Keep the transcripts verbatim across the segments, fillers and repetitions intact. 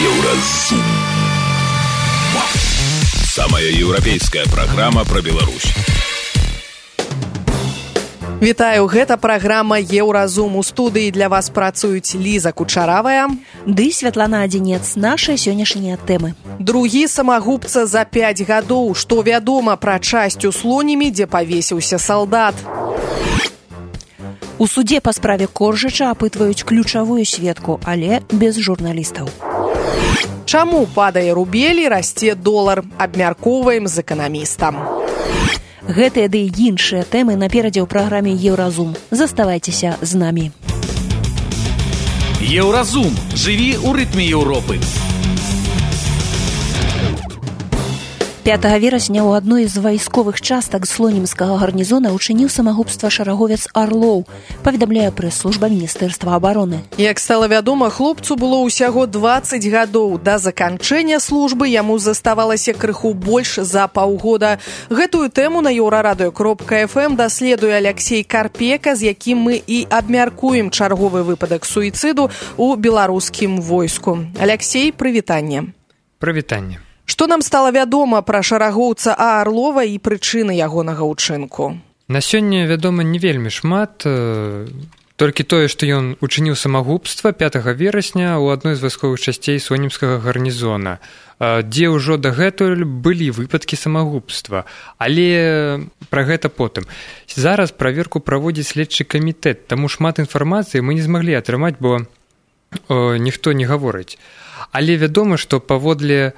Еўразум. Самая еўрапейская праграма пра Беларусь. Вітаю, гэта праграма Еўразум. У студыі для вас працуюць Ліза Кучаравая ды Святлана Адзінец. Нашы сённяшнія тэмы. Другі самагубца за пяць гадоў. Што вядома пра часць у Слонімі, дзе павесіўся салдат. У судзе па справе Коржыча апытваюць ключавую сведку, але без журналістаў. Чаму падае рубель і расце долар? Абмяркоўваем з эканамістам. Гэтыя ды і іншыя тэмы наперадзе ў праграме Еўразум. Заставайцеся з намі. Еўразум. Жыві ў рытме Еўропы. пятага верасня ў адной з вайсковых частак слонімскага гарнізона учыніў самагубства шараговец Арлоў, паведамляе прэс-служба Міністэрства абароны. Як стала вядома, хлопцу было ўсяго дваццаць гадоў. Да заканчэння службы яму заставалася крыху больш за паўгода. Гэтую тэму на еўрарадыё кропка эф эм даследуе Аляксей Карпека, з якім мы і абмяркуем чарговы выпадак суіцыду ў беларускім войску. Аляксей, прывітанне. Прывітанне. Што нам стала вядома пра шарагоўца А. Арлова і прычыны ягонага ўчынку? На сёння вядома не вельмі шмат, толькі тое, што ён учыніў самагубства пятага верасня ў адной з вайсковых часцей слонімскага гарнізона, дзе ўжо дагэтуль былі выпадкі самагубства, але пра гэта потым. Зараз праверку праводзіць следчы камітэт, таму шмат інфармацыі мы не змаглі атрымаць, бо о, ніхто не гаворыць. Але вядома, што паводле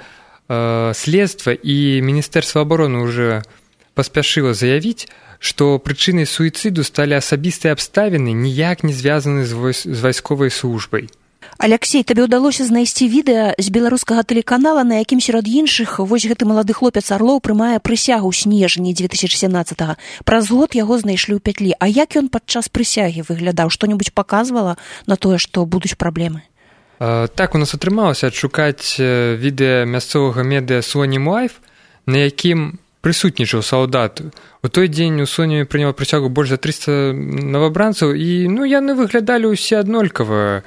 следства і Міністэрства абароны уже паспяшыла заявіць, што прычынай суіцыду сталі асабістыя абставіны, ніяк не звязаны з, войс... з вайсковай службай. Аляксей, табе ўдалося знайсці відэа з беларускага тэлеканала, на якім сярод іншых вось гэты малады хлопец Арлоў прымае прысягу ў снежні дзве тысячы сямнаццатага. Праз год яго знайшлі ў пятлі. А як ён падчас прысягі выглядаў? Што-небудзь паказвала на тое, што будуць праблемы? Так, у нас атрымалася адшукаць відэа мясцовага медыа Слонім Лайф, на якім прысутнічаў салдат. У той дзень у Слонімі прыняла прысягу больш за трыста новабранцаў, і ну, яны выглядалі ўсе аднолькава.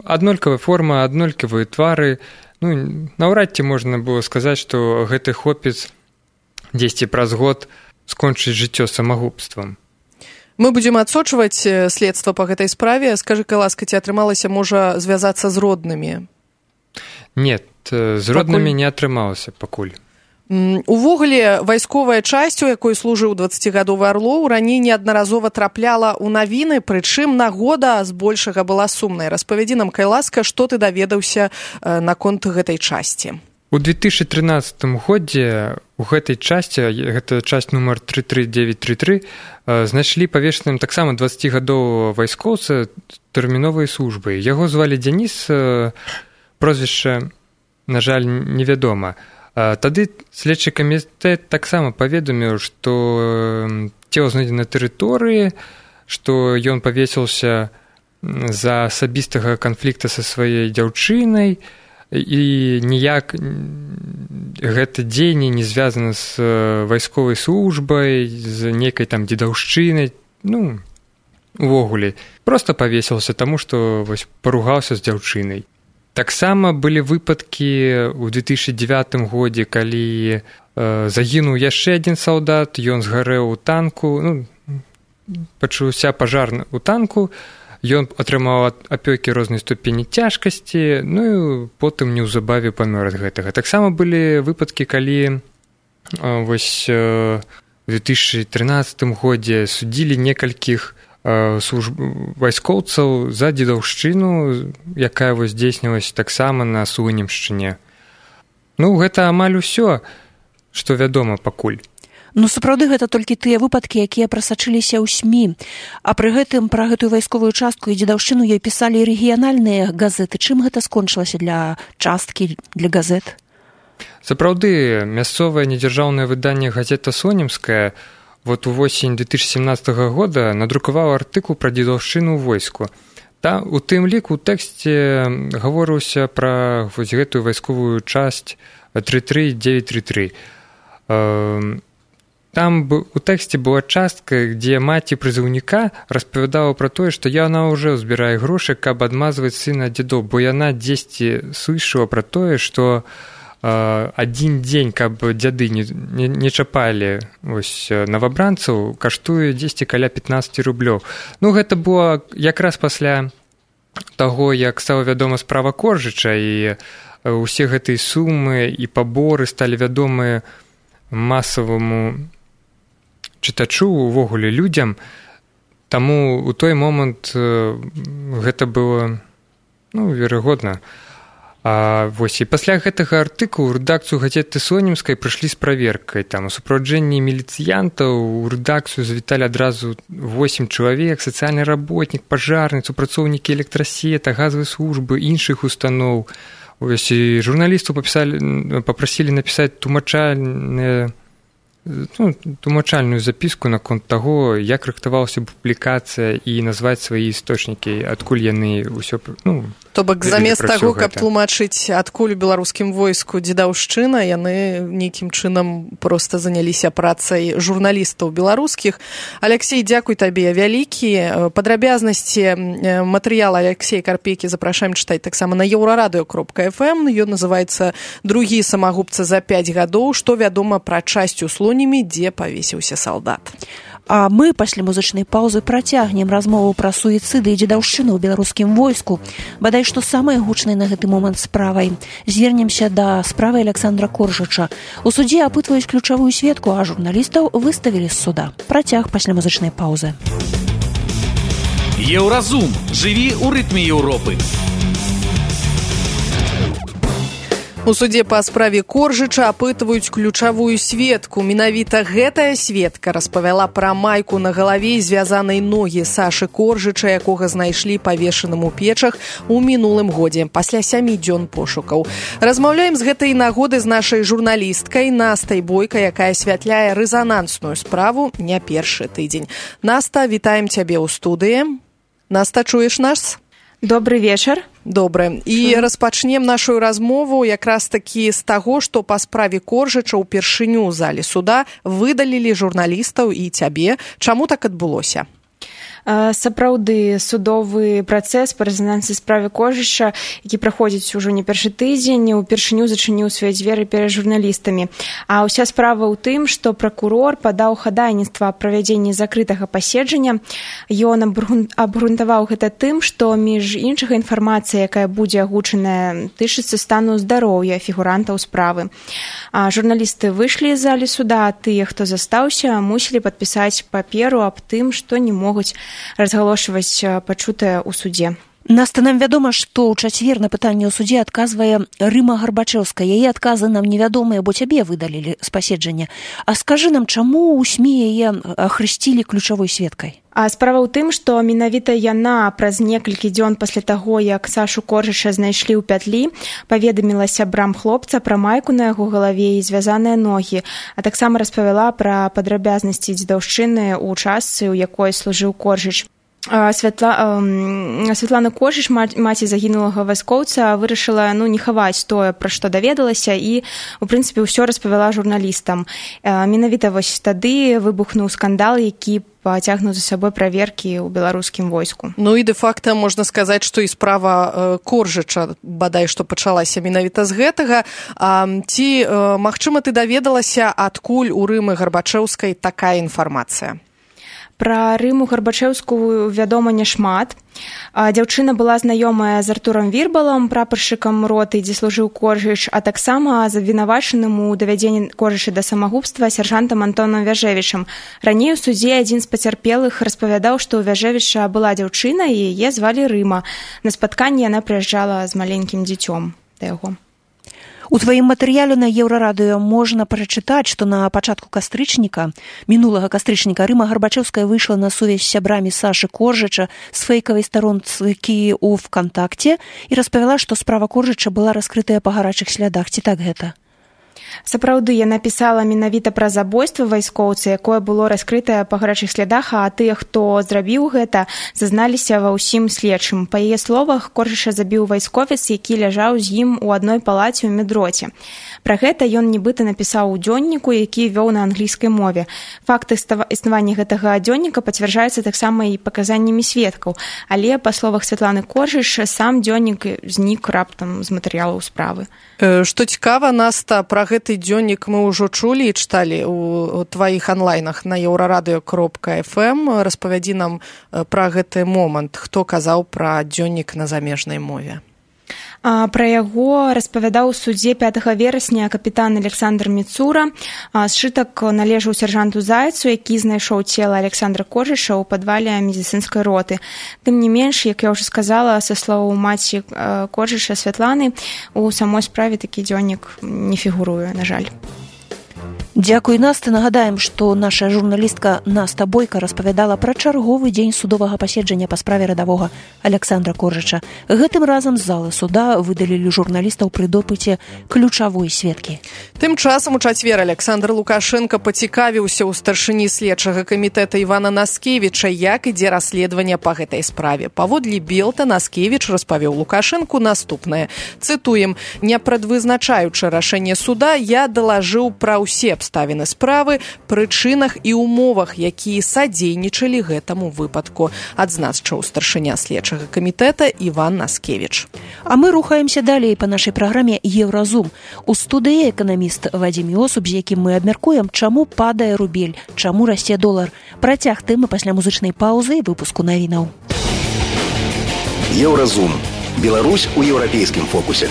Аднолькавая форма, аднолькавыя твары. Ну, наўрад ці можна было сказаць, што гэты хлопец дзесьці праз год скончыць жыццё самагубствам. Мы будзем адсочваць следства па гэтай справе. Скажы, каласка, ці атрымалася, можа, звязацца з роднымі? Не, з роднымі пакуль... не атрымалася пакуль. Увогуле, вайсковая часць, у якой служыў дваццацігадовы Арлоў, раней неаднаразова трапляла ў навіны, прычым нагода збольшага была сумнай. Распавядзі нам, каласка, што ты даведаўся наконт гэтай часці. У две тысячы трынаццатым годзе у гэтай часці, гэта часць нумар тры тры дзевяць тры тры, знайшлі павешаным таксама дваццацігадовага вайскоўца тэрміновай службы. Яго звалі Дзяніс, прозвішча, на жаль, невядома. Тады следчы камітэт таксама паведаміў, што цела знойдзена на тэрыторыі, што ён павесіўся за асабістага канфлікта са сваёй дзяўчынай, і ніяк гэта дзеянне не звязана з вайсковай службай, з нейкай там дзедаўшчынай, ну, увогуле. Проста павесіўся, таму што вось паругаўся з дзяўчынай. Таксама былі выпадкі ў две тысячы дзевятым годзе, калі э, загінуў яшчэ адзін салдат, ён згарэў у танку, ну, пачаўся пажар у танку, ён атрымаў апёкі рознай ступені цяжкасці, ну і потым неўзабаве памёр ад гэтага. Таксама былі выпадкі, калі вось у две тысячы трынаццатым годзе судзілі некалькіх служб... вайскоўцаў за дзедаўшчыну, якая вось здзейснілася таксама на Слонімшчыне. Ну, гэта амаль усё, што вядома пакуль. Ну, сапраўды, гэта толькі тыя выпадкі, якія прасачыліся ў СМІ. А пры гэтым пра гэтую вайсковую частку і дзедаўшчыну ёй пісалі рэгіянальныя газеты. Чым гэта скончылася для часткі, для газет? Сапраўды, мясцовае недзяржаўнае выданне газета «Слонімская» вот увосень две тысячи семнадцатого года надрукавала артыкул пра дзедаўшчыну ў войску. Там, у тым ліку, у тэксце гаворыўся пра вось гэтую вайсковую часць тры тры дзевяць тры тры. там у тэксце была частка, дзе маці прызыўніка распавядала пра тое, што яна ўжо збірае грошы, каб адмазваць сына ад дзядоў, бо яна дзесьці слышала пра тое, што адзін дзень, каб дзяды не, не, не чапалі ось, новабранцаў, каштуе дзесьці каля пятнаццаць рублёў. Ну, гэта было якраз пасля таго, як стала вядома справа Коржыча, і ўсе гэтыя сумы і паборы сталі вядомыя масаваму чытачу, увогуле людзям, таму ў той момант гэта было, ну, верагодна. А вось і пасля гэтага артыкулу ў рэдакцыю газеты Сонімскай прыйшлі з праверкай. Там у суправаджэнні міліцыянтаў у рэдакцыю завіталі адразу восем чалавек, сацыяльны работнік, пажарны, супрацоўнікі электрасета, газавай службы, іншых устаноў. Ось і журналістаў папрасілі напісаць тлумачальныя ну, тлумачальную запіску наконт таго, як рыхтавалася публікацыя і назваць свае істочнікі, адкуль яны ўсё, ну, то бок замест таго, каб тлумачыць, адкуль у беларускім войску дзедаўшчына, яны нейкім чынам проста заняліся працай журналістаў беларускіх. Алексей, дзякуй табе вялікі. Падрабязнасці матэрыяла Алексея Карпейкі запрашаем чытаць таксама на еўрарадыё кропка эф эм. Ён называецца «Другі самагубца за пяць гадоў. Што вядома пра часць у Слонімі, дзе павесіўся салдат». А мы пасля музычнай паўзы працягнем размову пра суіцыды і дзедаўшчыну ў беларускім войску. Бадай што самай гучнай на гэты момант справай. Звернемся да справы Александра Коржыча. У судзе апытваюць ключавую сведку, а журналістаў выставілі з суда. Працяг пасля музычнай паўзы. Еўразум. Жыві ў рытме Еўропы. У судзе па справе Коржыча апытваюць ключавую сведку. Менавіта гэтая сведка распавяла пра майку на галаве і звязанай ногі Сашы Коржыча, якога знайшлі павешаным у печах у мінулым годзе, пасля сямі дзён пошукаў. Размаўляем з гэтай нагоды з нашай журналісткай Настай Бойка, якая асвятляе рэзанансную справу не першы тыдзень. Наста, вітаем цябе ў студыі. Наста, чуеш нас? Добрый вечар. Добра. І распачнем нашу размову якраз такі з таго, што па справе Коржыча ўпершыню ў зале суда выдалілі журналістаў і цябе. Чаму так адбылося? Сапраўды, судовы працэс па рэзананснай справе Коржыча, які праходзіць ужо не першы тыдзень, упершыню зачыніў свае дзверы перад журналістамі. А ўся справа ў тым, што пракурор падаў хадайніцтва аб правядзенні закрытага паседжання. Ён абгрунтаваў гэта тым, што між іншага інфармацыя, якая будзе агучаная, тычыцца стану здароўя фігурантаў справы. А журналісты выйшлі з залі суда, а тыя, хто застаўся, мусілі падпісаць паперу аб тым, што не могуць разгалошваць пачутае ў судзе. Наста, нам вядома, што ў чацвер на пытанне ў судзе адказвае Рыма Гарбачэўская. Яе адказы нам невядомыя, бо цябе выдалілі з паседжання. А скажы нам, чаму ў СМІ яе ахрысцілі ключавой сведкай? А справа ў тым, што менавіта яна праз некалькі дзён пасля таго, як Сашу Коржыча знайшлі ў пятлі, паведаміла сябрам хлопца пра майку на яго галаве і звязаныя ногі, а таксама распавяла пра падрабязнасці дзедаўшчыны ў частцы, у якой служыў Коржыч. Святла, э, Святлана Коржыч, маці загінулага вайскоўца, вырашыла ну, не хаваць тое, пра што даведалася, і, у прынцыпе, ўсё распавяла журналістам. Э, менавіта вось тады выбухнуў скандал, які пацягнуў за сабой праверкі ў беларускім войску. Ну і дэ-факта можна сказаць, што і справа Коржыча бадай што пачалася менавіта з гэтага. А, ці, магчыма, ты даведалася, адкуль у Рымы Гарбачэўскай такая інфармацыя? Пра Рыму Гарбачэўскую вядома няшмат. Дзяўчына была знаёмая з Артурам Вірбалам, прапаршчыкам роты, дзе служыў Коржыч, а таксама з абвінавачаным у давядзенні Коржыча да самагубства сяржантам Антонам Вяжэвічам. Раней у судзе адзін з пацярпелых распавядаў, што ў Вяжэвіча была дзяўчына і яе звалі Рыма. На спатканні яна прыязджала з маленькім дзіцём да яго. У тваім матэрыяле на Еўрарадыё можна прачытаць, што на пачатку кастрычніка, мінулага кастрычніка, Рыма Гарбачэўская выйшла на сувязь з сябрамі Сашы Коржыча з фэйкавай старонкі ў ВКонтакце і распавяла, што справа Коржыча была раскрытая па гарачых слядах. Ці так гэта? Сапраўды, яна пісала менавіта пра забойства вайскоўца, якое было раскрытае па гарачых слядах, а тыя, хто зрабіў гэта, зазналіся ва ўсім следчым. Па яе словах, Коржыша забіў вайсковец, які ляжаў з ім у адной палаце ў медроце. Пра гэта ён нібыта напісаў у дзённіку, які вёў на англійскай мове. Факт існавання гэтага дзённіка пацвярджаецца таксама і паказаннямі сведкаў, але, па словах Святланы Коржыш, сам дзённік знік раптам з матэрыялаў справы. Што цікава, Наста, пра гэты дзённік мы ўжо чулі і чыталі ў тваіх онлайнах на еўрарадыё кропка эф эм. Распавядзі нам пра гэты момант, хто казаў пра дзённік на замежнай мове. Пра яго распавядаў у судзе пятага верасня капітан Александр Міцура. Сшытак належаў сяржанту Зайцу, які знайшоў цела Александра Коржыша ў падвале медыцынскай роты. Тым не менш, як я ўжо сказала, са словаў маці Коржыша Святланы, у самой справе такі дзённік не фігуруе, на жаль. Дзякуй, Наста. Нагадаем, што наша журналістка Наста Бойка распавядала пра чарговы дзень судовага паседжання па справе радавога Александра Коржыча. Гэтым разам з залы суда выдалілі журналістаў пры допыце ключавой сведкі. Тым часам у чацвер Александр Лукашенко пацікавіўся ў старшыні следчага камітэта Івана Наскевіча, як ідзе расследаванне па гэтай справе. Паводле Белта Наскевіч распавёў Лукашенку наступнае. Цытуем: «Не прадвызначаючы рашэнне суда, я далажыў пра ўсе абставіны справы, прычынах і умовах, якія садзейнічалі гэтаму выпадку», адзначыў старшыня следчага камітэта Іван Наскевіч. А мы рухаемся далей па нашай праграме «Еўразум». У студыі эканаміст Вадзім Йосуп, з якім мы абмяркуем, чаму падае рубель, чаму расце долар. Працяг тэмы пасля музычнай паўзы і выпуску навінаў. «Еўразум». Беларусь у еўрапейскім фокусе.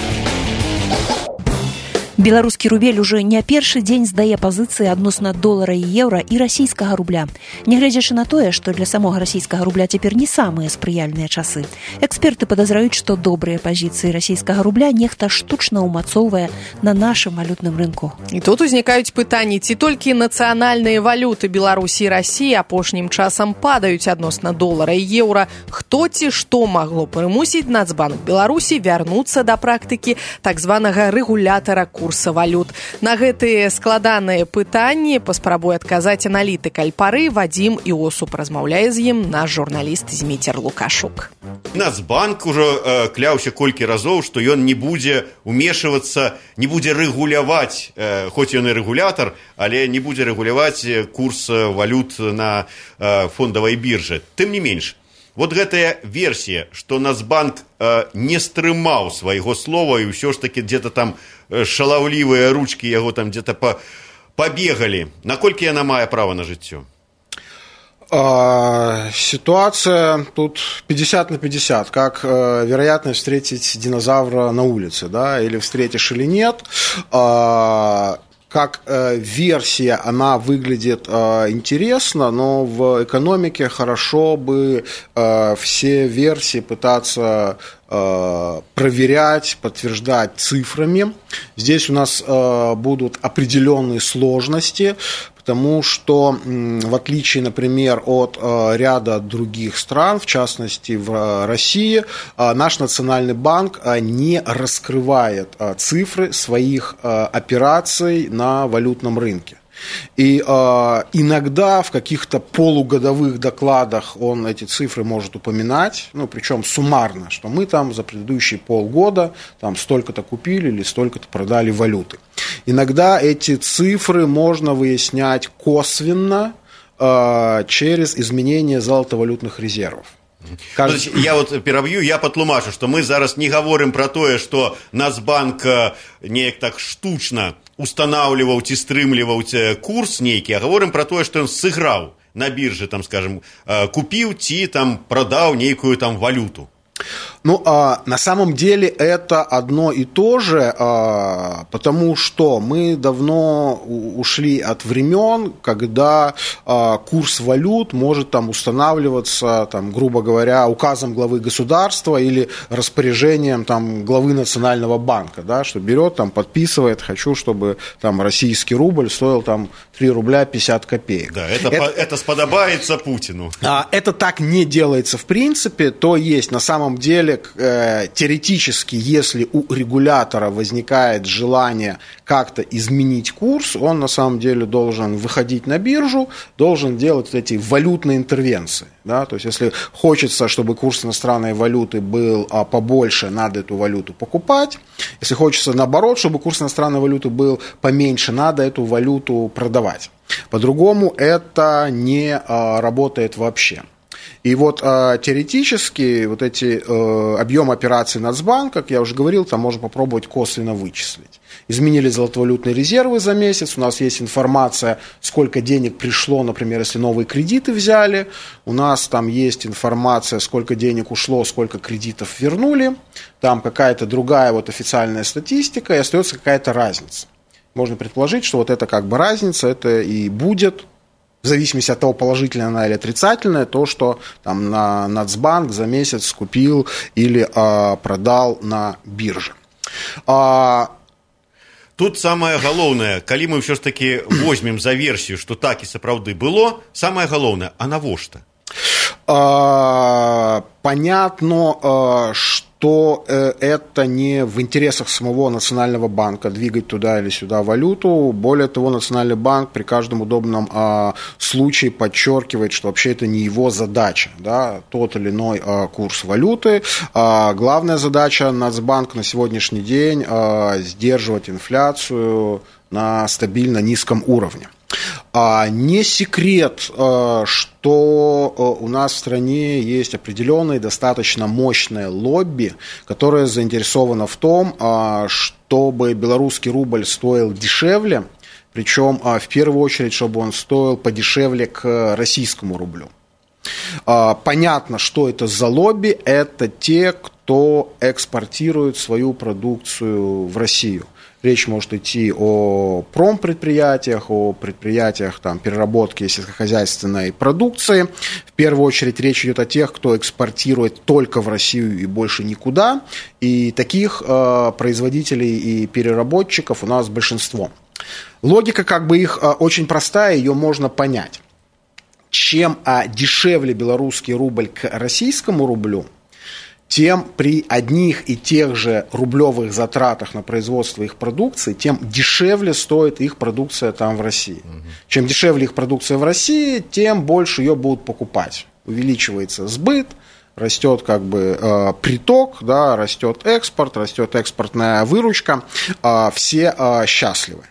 Беларускі рубель уже не першы дзень здае пазіцыі адносна долара і еўра і расійскага рубля. Нягледзячы на тое, што для самога расійскага рубля цяпер не самыя спрыяльныя часы. Эксперты падазраюць, што добрыя пазіцыі расійскага рубля нехта штучна ўмацоўвае на нашым валютным рынку. І тут узнікаюць пытанні, ці толькі нацыянальныя валюты Беларусі і Расіі апошнім часам падаюць адносна долара і еўра. Хто ці што магло прымусіць Нацбанк Беларусі вярнуцца да практыкі так званага рэгулятара курса валют. На гэтыя складаныя пытанні паспрабуе адказаць аналітык Альпары Вадзім Іосуп. Размаўляе з ім наш журналіст Зміцер Лукашук. Нацбанк ужо э, кляўся колькі разоў, што ён не будзе умешвацца, не будзе рэгуляваць, э, хоць ён і рэгулятар, але не будзе рэгуляваць курс валют на э, фондавай біржы. Тым не менш, вот гэтая версія, што Нацбанк э, не стрымаў свайго слова і ўсё ж таки где-то там э, шалаўлівыя ручкі яго там где-то па, пабегалі. Наколькі яна мае права на жыццё? А, ситуация тут пятьдесят на пятьдесят, как э, вероятность встретить динозавра на улице, да, или встретишь или нет. А, как э, версия она выглядит э, интересно, но в экономике хорошо бы э, все версии пытаться э, проверять, подтверждать цифрами. Здесь у нас э, будут определенные сложности, потому что, в отличие, например, от э, ряда других стран, в частности в э, России, э, наш Национальный банк э, не раскрывает э, цифры своих э, операций на валютном рынке. И э, иногда в каких-то полугодовых докладах он эти цифры может упоминать, ну, причем суммарно, что мы там за предыдущие полгода там столько-то купили или столько-то продали валюты. Иногда эти цифры можно выяснять косвенно э, через изменение золотовалютных резервов. Кажется... Я вот пераб'ю, я патлумачу, што мы зараз не гаворым пра тое, што Нацбанк неяк так штучна устанаўліваў ці стрымліваў курс нейкі, а гаворым пра тое, што ён сыграў на біржы, там, скажем, купіў ці там прадаў нейкую там валюту. Ну, а, на самом деле это одно и то же, а, потому что мы давно ушли от времен, когда а, курс валют может там устанавливаться, там, грубо говоря, указом главы государства или распоряжением там, главы Национального банка, да, что берет, там, подписывает, хочу, чтобы там, российский рубль стоил там, три рубля пятьдесят копеек. Да, это, это, по, это сподобается Путину. А, это так не делается в принципе, то есть на самом деле деле, теоретически, если у регулятора возникает желание как-то изменить курс, он на самом деле должен выходить на биржу, должен делать эти валютные интервенции. Да? То есть, если хочется, чтобы курс иностранной валюты был побольше, надо эту валюту покупать. Если хочется, наоборот, чтобы курс иностранной валюты был поменьше, надо эту валюту продавать. По-другому это не работает вообще. И вот э, теоретически вот эти э, объемы операций Нацбанка, как я уже говорил, там можно попробовать косвенно вычислить. Изменили золотовалютные резервы за месяц, у нас есть информация, сколько денег пришло, например, если новые кредиты взяли, у нас там есть информация, сколько денег ушло, сколько кредитов вернули, там какая-то другая вот официальная статистика, и остается какая-то разница. Можно предположить, что вот это как бы разница, это и будет, в зависимости от того, положительная она или отрицательная, то, что там на Нацбанк за месяц купил или а, продал на бирже. А... Тут самое галоўнае, калі мы ўсё ж таки возьмем за версію, што так і сапраўды было, самое галоўнае, а навошта? А, понятно, что это не в интересах самого Национального банка двигать туда или сюда валюту. Более того, Национальный банк при каждом удобном а, случае подчеркивает, что вообще это не его задача, да, тот или иной а, курс валюты. А, главная задача Нацбанка на сегодняшний день а, сдерживать инфляцию на стабильно низком уровне. А не секрет, что у нас в стране есть определенное достаточно мощное лобби, которое заинтересовано в том, чтобы белорусский рубль стоил дешевле, причем в первую очередь, чтобы он стоил подешевле к российскому рублю. Понятно, что это за лобби, это те, кто экспортирует свою продукцию в Россию. Речь может идти о промпредприятиях, о предприятиях там, переработки сельскохозяйственной продукции. В первую очередь речь идет о тех, кто экспортирует только в Россию и больше никуда. И таких э, производителей и переработчиков у нас большинство. Логика как бы их э, очень простая, ее можно понять. Чем э, дешевле белорусский рубль к российскому рублю, тем при одних и тех же рублевых затратах на производство их продукции, тем дешевле стоит их продукция там в России. Угу. Чем дешевле их продукция в России, тем больше ее будут покупать. Увеличивается сбыт, растет как бы э, приток, да, растет экспорт, растет экспортная выручка, э, все э, счастливы.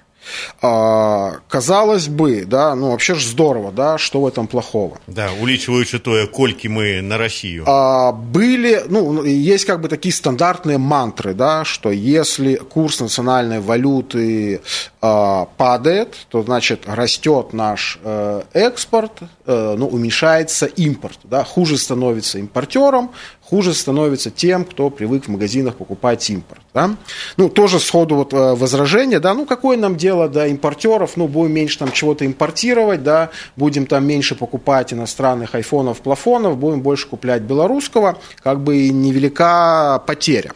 А, казалось бы, да, ну вообще же здорово, да, что в этом плохого? Да, улічваючи тое, колькі мы на Россию. А, были, ну, есть как бы такие стандартные мантры, да, что если курс национальной валюты а, падает, то, значит, растет наш э, экспорт, э, ну, уменьшается импорт, да, хуже становится импортером, хуже становится тем, кто привык в магазинах покупать импорт. Да? Ну, тоже сходу вот возражение, да, ну, какое нам дело до импортеров, ну, будем меньше там чего-то импортировать, да, будем там меньше покупать иностранных айфонов, плафонов, будем больше куплять белорусского, как бы невелика потеря.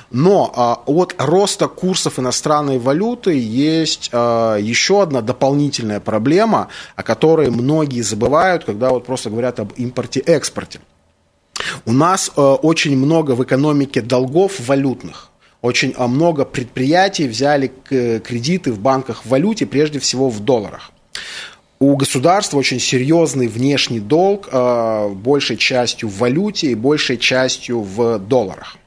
Но а, от роста курсов иностранной валюты есть а, еще одна дополнительная проблема, о которой многие забывают, когда вот просто говорят об импорте-экспорте. У нас э, очень много в экономике долгов валютных. Очень э, много предприятий взяли к, кредиты в банках в валюте, прежде всего в долларах. У государства очень серьезный внешний долг, э, большей частью в валюте и большей частью в долларах.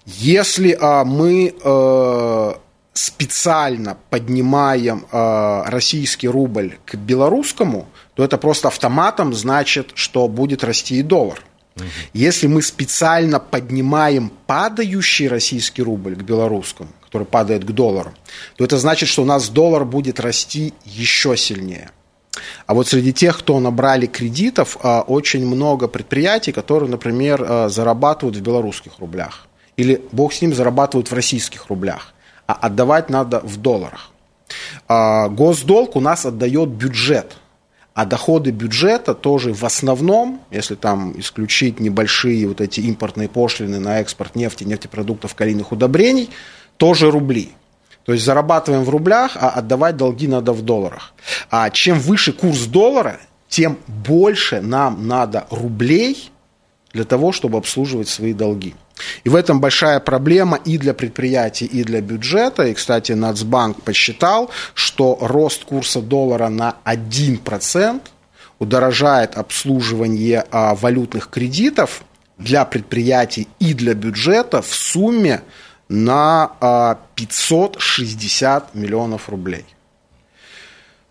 Если э, мы э, специально поднимаем э, российский рубль к белорусскому, то это просто автоматом значит, что будет расти и доллар. Если мы специально поднимаем падающий российский рубль к белорусскому, который падает к доллару, то это значит, что у нас доллар будет расти еще сильнее. А вот среди тех, кто набрали кредитов, очень много предприятий, которые, например, зарабатывают в белорусских рублях. Или, бог с ним, зарабатывают в российских рублях. А отдавать надо в долларах. Госдолг у нас отдает бюджет. А доходы бюджета тоже в основном, если там исключить небольшие вот эти импортные пошлины на экспорт нефти, нефтепродуктов, калийных удобрений, тоже рубли. То есть зарабатываем в рублях, а отдавать долги надо в долларах. А чем выше курс доллара, тем больше нам надо рублей для того, чтобы обслуживать свои долги. И в этом большая проблема и для предприятий, и для бюджета. И, кстати, Нацбанк посчитал, что рост курса доллара на один процент удорожает обслуживание а, валютных кредитов для предприятий и для бюджета в сумме на а, пятьсот шестьдесят миллионов рублей.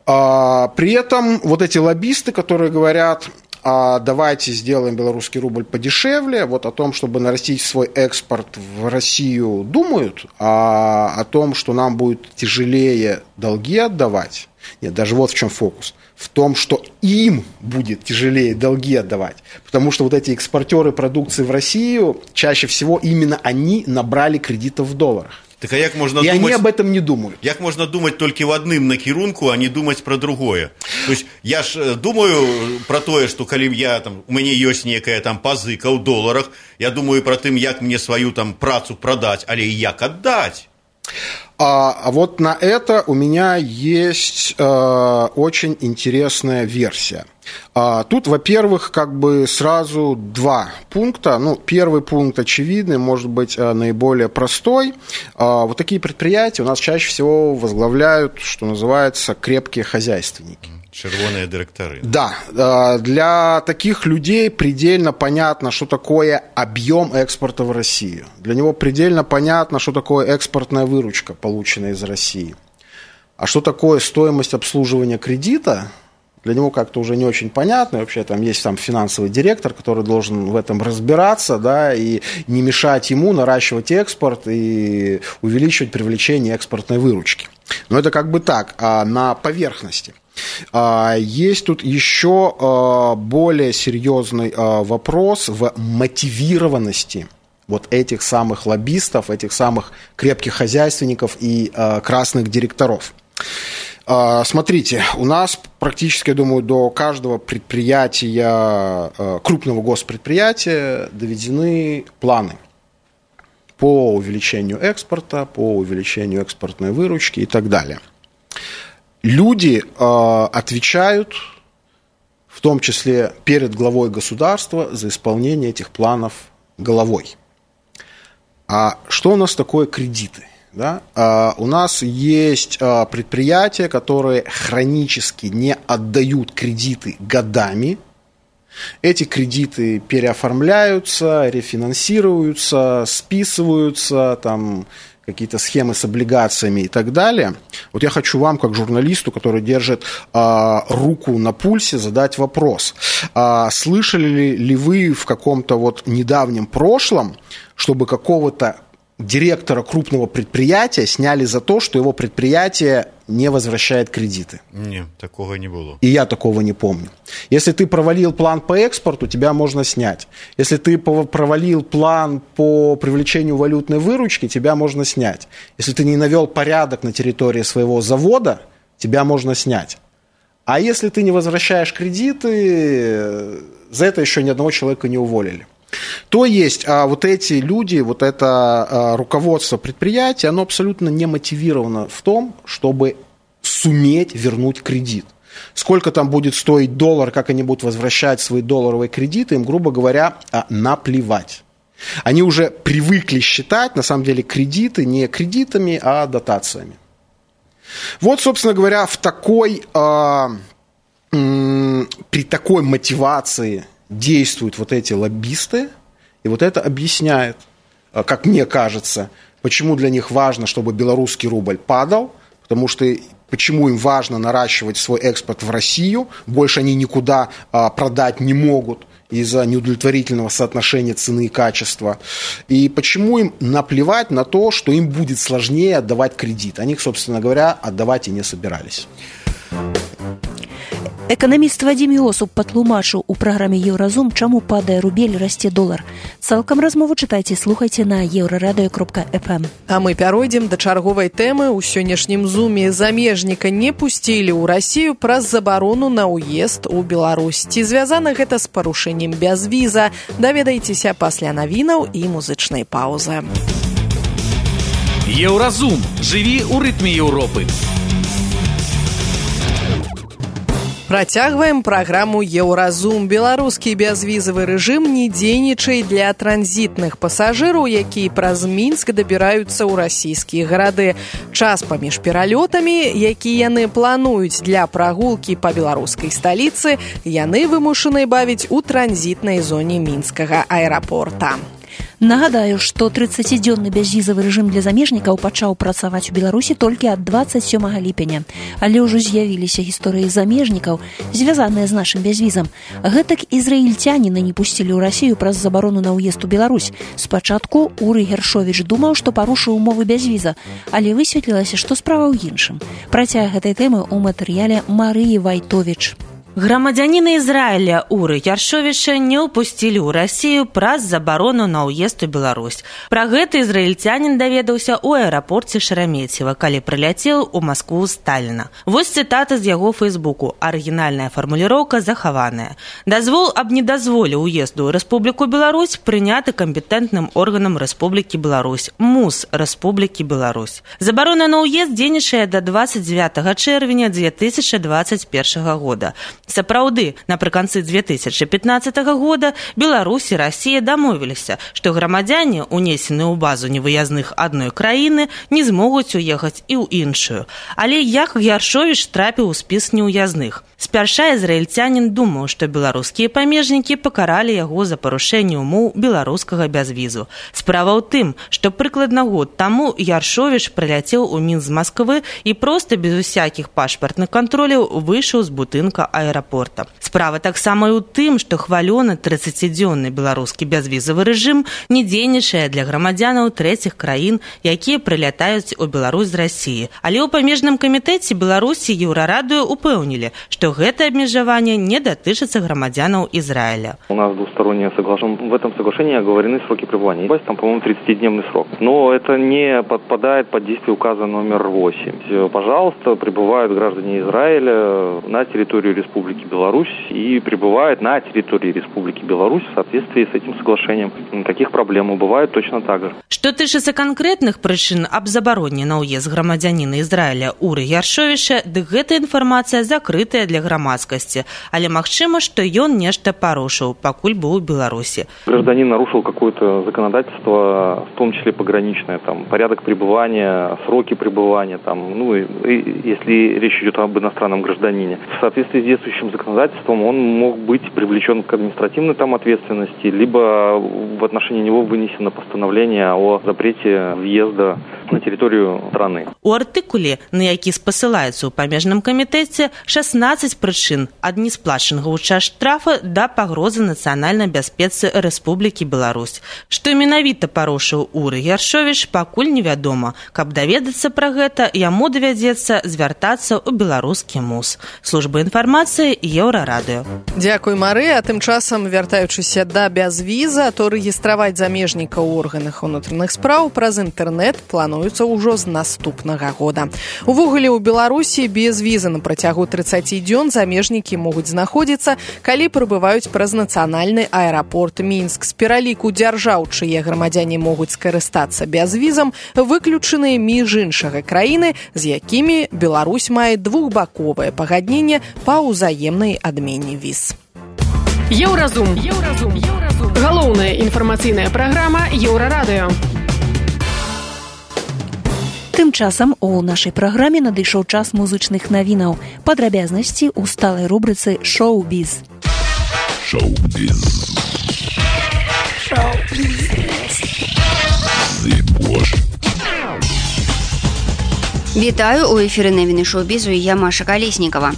А, при этом вот эти лоббисты, которые говорят... А давайте сделаем белорусский рубль подешевле, вот о том, чтобы нарастить свой экспорт в Россию, думают, а о том, что нам будет тяжелее долги отдавать, нет, даже вот в чем фокус, в том, что им будет тяжелее долги отдавать, потому что вот эти экспортеры продукции в Россию, чаще всего именно они набрали кредитов в долларах. Так а як можна и думать, они об этом не думают. Як можна думать толькі в адным накірунку, а не думаць пра другое? То есть я ж думаю про тое, што калі я там у мяне ёсць некая там пазыка ў доларах, я думаю про тым, як мне сваю там працу прадаць, але і як аддаць. А, а вот на это у меня есть э, очень интересная версия. А, тут, во-первых, как бы сразу два пункта. Ну, первый пункт очевидный, может быть, наиболее простой. А, вот такие предприятия у нас чаще всего возглавляют, что называется, крепкие хозяйственники. Червоные директоры. Да, для таких людей предельно понятно, что такое объем экспорта в Россию. Для него предельно понятно, что такое экспортная выручка, полученная из России. А что такое стоимость обслуживания кредита, для него как-то уже не очень понятно. И вообще там есть там финансовый директор, который должен в этом разбираться, да, и не мешать ему наращивать экспорт и увеличивать привлечение экспортной выручки. Но это как бы так, а на поверхности. Есть тут еще более серьезный вопрос в мотивированности вот этих самых лоббистов, этих самых крепких хозяйственников и красных директоров. Смотрите, у нас практически, я думаю, до каждого предприятия, крупного госпредприятия доведены планы по увеличению экспорта, по увеличению экспортной выручки и так далее. Люди э, отвечают, в том числе перед главой государства, за исполнение этих планов головой. А что у нас такое кредиты? Да? Э, у нас есть э, предприятия, которые хронически не отдают кредиты годами. Эти кредиты переоформляются, рефинансируются, списываются, там... какие-то схемы с облигациями и так далее. Вот я хочу вам, как журналисту, который держит а, руку на пульсе, задать вопрос. А, слышали ли, ли вы в каком-то вот недавнем прошлом, чтобы какого-то директора крупного предприятия сняли за то, что его предприятие не возвращает кредиты? Нет, такого не было. И я такого не помню. Если ты провалил план по экспорту, тебя можно снять. Если ты провалил план по привлечению валютной выручки, тебя можно снять. Если ты не навел порядок на территории своего завода, тебя можно снять. А если ты не возвращаешь кредиты, за это еще ни одного человека не уволили. То есть а, вот эти люди, вот это а, руководство предприятия, оно абсолютно не мотивировано в том, чтобы суметь вернуть кредит. Сколько там будет стоить доллар, как они будут возвращать свои долларовые кредиты, им, грубо говоря, а, наплевать. Они уже привыкли считать, на самом деле, кредиты не кредитами, а дотациями. Вот, собственно говоря, в такой, а, м- при такой мотивации действуют вот эти лоббисты, и вот это объясняет, как мне кажется, почему для них важно, чтобы белорусский рубль падал, потому что почему им важно наращивать свой экспорт в Россию, больше они никуда а, продать не могут из-за неудовлетворительного соотношения цены и качества, и почему им наплевать на то, что им будет сложнее отдавать кредит. Они, собственно говоря, отдавать и не собирались. Эканаміст Вадзім Іосуп патлумачыў у праграме «Еўразум», чаму падае рубель, расце долар. Цалкам размову чытайце, слухайце на еўрарадыё кропка эф эм. А мы пяройдзем да чарговай тэмы. У сённяшнім зуме замежніка не пусцілі ў Расію праз забарону на ўезд у Беларусь. Ці звязана гэта з парушэннем бязвіза? Даведайцеся пасля навінаў і музычнай паўзы. Еўразум. Жыві ў рытме Еўропы. Працягваем праграму «Еўразум». Беларускі бязвізавы рэжым не дзейнічае для транзітных пасажыраў, якія праз Мінск дабіраюцца ў расійскія гарады. Час паміж пералётамі, якія яны плануюць для прагулкі па беларускай сталіцы, яны вымушаны бавіць у транзітнай зоне мінскага аэрапорта. Нагадаю, што трыццацідзённы бязвізавы рэжым для замежнікаў пачаў працаваць у Беларусі толькі ад дваццаць сёмага ліпеня. Але ўжо з'явіліся гісторыі замежнікаў, звязаныя з нашым бязвізам. Гэтак ізраільцяніны не пусцілі ў Расію праз забарону на ўезд у Беларусь. Спачатку Урый Гершовіч думаў, што парушыў умовы бязвіза, але высветлілася, што справа ў іншым. Працяг гэтай тэмы ў матэрыяле Марыі Вайтовіч. Грамадзяніна Ізраіля Уры Яршовіча не ўпусцілі ў Расію праз забарону на ўезд у Беларусь. Пра гэта ізраільцянін даведаўся ў аэрапорце Шереметьева, калі прыляцеў у Маскву Сталіна. Вось цытата з яго фэйсбуку. Арыгінальная фармуліроўка захаваная. Дазвол аб недазволе ўезду ў Рэспубліку Беларусь прыняты кампетэнтным органам Рэспублікі Беларусь, МУС Рэспублікі Беларусь. Забарона на ўезд дзейнічае да дваццаць дзевятага чэрвеня дзве тысячы дваццаць першага года. Сапраўды, напрыканцы дзве тысячы пятнаццатага года Беларусь і Расія дамовіліся, што грамадзяне, унесеныя ў базу невыязных адной краіны, не змогуць уехаць і ў іншую. Але як Яршовіч трапіў у спіс неўязных? Спярша ізраільцянін думаў, што беларускія памежнікі пакаралі яго за парушэнне умоў беларускага бязвізу. Справа ў тым, што прыкладна год таму Яршовіч прыляцеў у Мінск з Масквы і проста без усякіх пашпартных кантроляў выйшаў з будынка аэрапорта. Справа таксама і ў тым, што хвалёны трыццацідзённы беларускі бязвізавы рэжым не дзейнічае для грамадзянаў трэціх краін, якія прылятаюць у Беларусь з Расіі. Але ў памежным камітэце Беларусі Еўрарадыё упэўнілі, што гэта абмежаванне не датычыцца грамадзянаў Израиля. У нас двустороннее соглашение. В этом соглашении оговорены сроки пребывания. Там, по-моему, тридцатидневный срок. Но это не подпадает под действие указа номер восемь. Пожалуйста, прибывают граждане Израиля на территорию Республики Беларусь и прибывают на территории Республики Беларусь в соответствии с этим соглашением. Никаких проблем бывает точно так же. Што тычыцца канкрэтных прычын аб забароне на ўезд грамадзяніна Израиля Уры Яршовіча, дык гэта інфармацыя закрытая для грамадскасці, але магчыма, што ён нешта парушыў, пакуль быў у Беларусі. Гражданин нарушил какое-то законодательство, в том числе пограничное, там, порядок пребывания, сроки пребывания, там, ну, и, и, если речь идет об иностранном гражданине. В соответствии с действующим законодательством он мог быть привлечен к административной там ответственности, либо в отношении него вынесено постановление о запрете въезда на территорию страны. У артыкуле, на які спасылаецца ў памежным камітэце, шаснаццаць прычын ад несплачанага ў час штрафа да пагрозы нацыянальнай бяспецы Рэспублікі Беларусь. Што менавіта парушыў Уры Яршовіч, пакуль невядома. Каб даведацца пра гэта, яму давядзецца звяртацца ў беларускі МУС. Служба інфармацыі Еўрарадыё. Дзякуй, Мары. А тым часам, вяртаючыся да бязвіза, то рэгістраваць замежніка ў органах унутраных спраў праз інтэрнэт плануецца ўжо з наступнага года. Увогуле, у Беларусі без візы на працягу трыццаці дзён замежнікі могуць знаходзіцца, калі прыбываюць праз нацыянальны аэрапорт Мінск. З пераліку дзяржаў, чые грамадзяне могуць скарыстацца бязвізам, выключаныя між іншага краіны, з якімі Беларусь мае двухбаковае пагадненне па ўзаемнай адмене віз. Еўразум. Еўразум. Еўразум. Галоўная інфармацыйная праграма Еўрарадыё. Тым часам у нашай праграме надышоў час музычных навінаў. Падрабязнасці ў сталай рубрыцы «Шоу-біз». Шоу-біз. Шоу-біз. Вітаю, у эфіры навіны шоу-бізу і я Маша Калеснікава.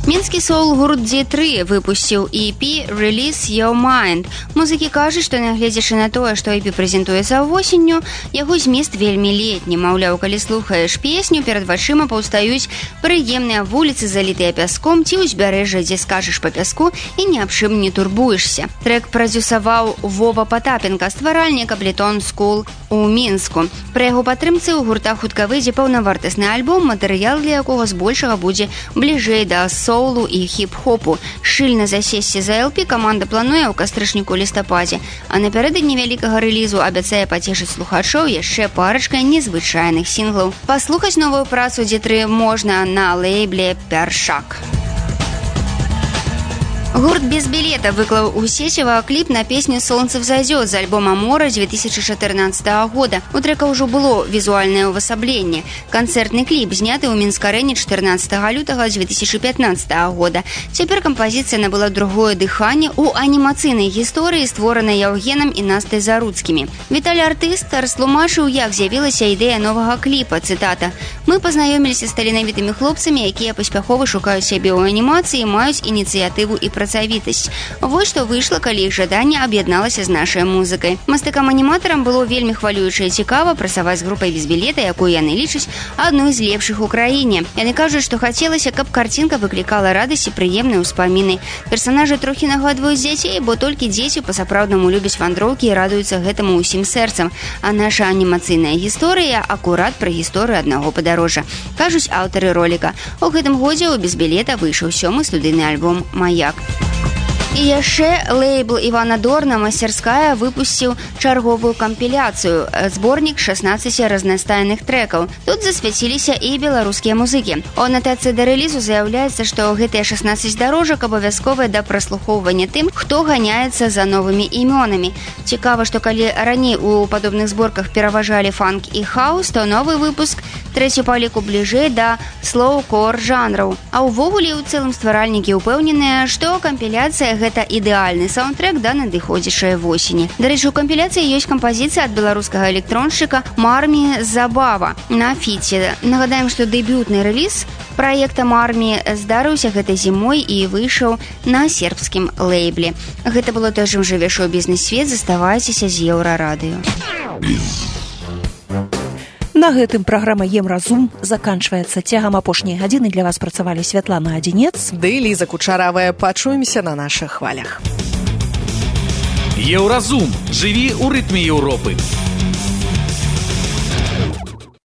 Мінскі соул-гурт ди три выпусціў и пі «Release Your Mind». Музыкі кажуць, што нягледзячы на тое, што и пі прэзентуецца восенню, яго змест вельмі летні. Маўляў, калі слухаеш песню, перад вачыма паўстаюць прыемныя вуліцы, залітыя пяском, ці ўзбярэжжа, дзе скажаш па пяску і ні аб чым не турбуешся. Трэк прадзюсаваў Вова Патапенка, стваральнік Ableton School у Мінску. Пры яго падтрымцы ў гурта хутка выйдзе паўнавартасны альбом, матэрыял для якога збольшага будзе бліжэй да соулу і хіп-хопу. Шчыльна засесці за эл пі каманда плануе ў кастрычніку-лістападзе, а напярэдадні вялікага рэлізу абяцае пацешыць слухачоў яшчэ парачкай незвычайных сінглаў. Паслухаць новую працу ди три можна на лейбле «Першак». Гурт «Без билета» выклал у сеціва кліп на песню «Солнце взойдет» з альбома «Мора» две тысячи четырнадцатого года. У трека ўжо было візуальнае ўвасабленне. Канцэртны кліп зняты ў Мінскарэне чатырнаццатага лютага две тысячи пятнадцатого года. Цяпер кампазіцыя набыла другое дыханне ў анімацыйнай гісторыі, створанай Яўгенам і Настай Заруцкімі. Віталій артыст растлумачыў, як з'явілася ідэя новага кліпа. Цытата: «Мы пазнаёміліся з таленавітымі хлопцамі, якія паспяхова шукаюць сябе ў анімацыі, маюць ініцыятыву і працавітасць. Вось што выйшла, калі іх жаданне аб'ядналася з нашай музыкай. Мастакам-аніматарам было вельмі хвалююча і цікава працаваць з групай «Без билета», якую яны лічаць адной з лепшых у краіне. Яны кажуць, што хацелася, каб карцінка выклікала радасць і прыемныя ўспаміны. Персанажы трохі нагадваюць дзяцей, бо толькі дзеці па-сапраўднаму любяць вандроўкі і радуюцца гэтаму ўсім сэрцам. А наша анімацыйная гісторыя акурат пра гісторыю аднаго падарожжа, кажуць аўтары роліка. У гэтым годзе ў «Без билета» выйшаў сёмы студыйны альбом «Маяк». І яшчэ лейбл Івана Дорна «Мастерская» выпусціў чарговую кампіляцыю, зборнік шестнадцати разнастайных трэкаў. Тут засвяціліся і беларускія музыкі. У анатацыі да рэлізу заяўляецца, што гэтыя шестнадцать дарожак абавязковыя да праслухоўвання тым, хто ганяецца за новымі імёнамі. Цікава, што калі раней у падобных зборках пераважалі фанк і хаус, то новы выпуск трэці па ліку бліжэй да слоу-кор жанраў. А ўвогуле ў цэлым стваральнікі ўпэўненыя, што кампіляцыя гэта ідэальны саундтрэк да надыходзячай восені. Дарэчы, у кампіляцыі ёсць кампазіцыя ад беларускага электроншчыка Мармі Забава на фіце. Нагадаем, што дэбютны рэліз праекта Мармі здарыўся гэтай зімой і выйшаў на сербскім лейбле. Гэта было той жым жыве шоу-бізнес-свет. Заставайцеся з Еўрарадыё. На гэтым праграма «Емразум» заканчваецца. Цягам апошняй гадзіны для вас працавалі Святлана Адзінец ды Ліза Кучаравая. Пачуемся на нашых хвалях. Еўразум. Жыві ў рытме Еўропы.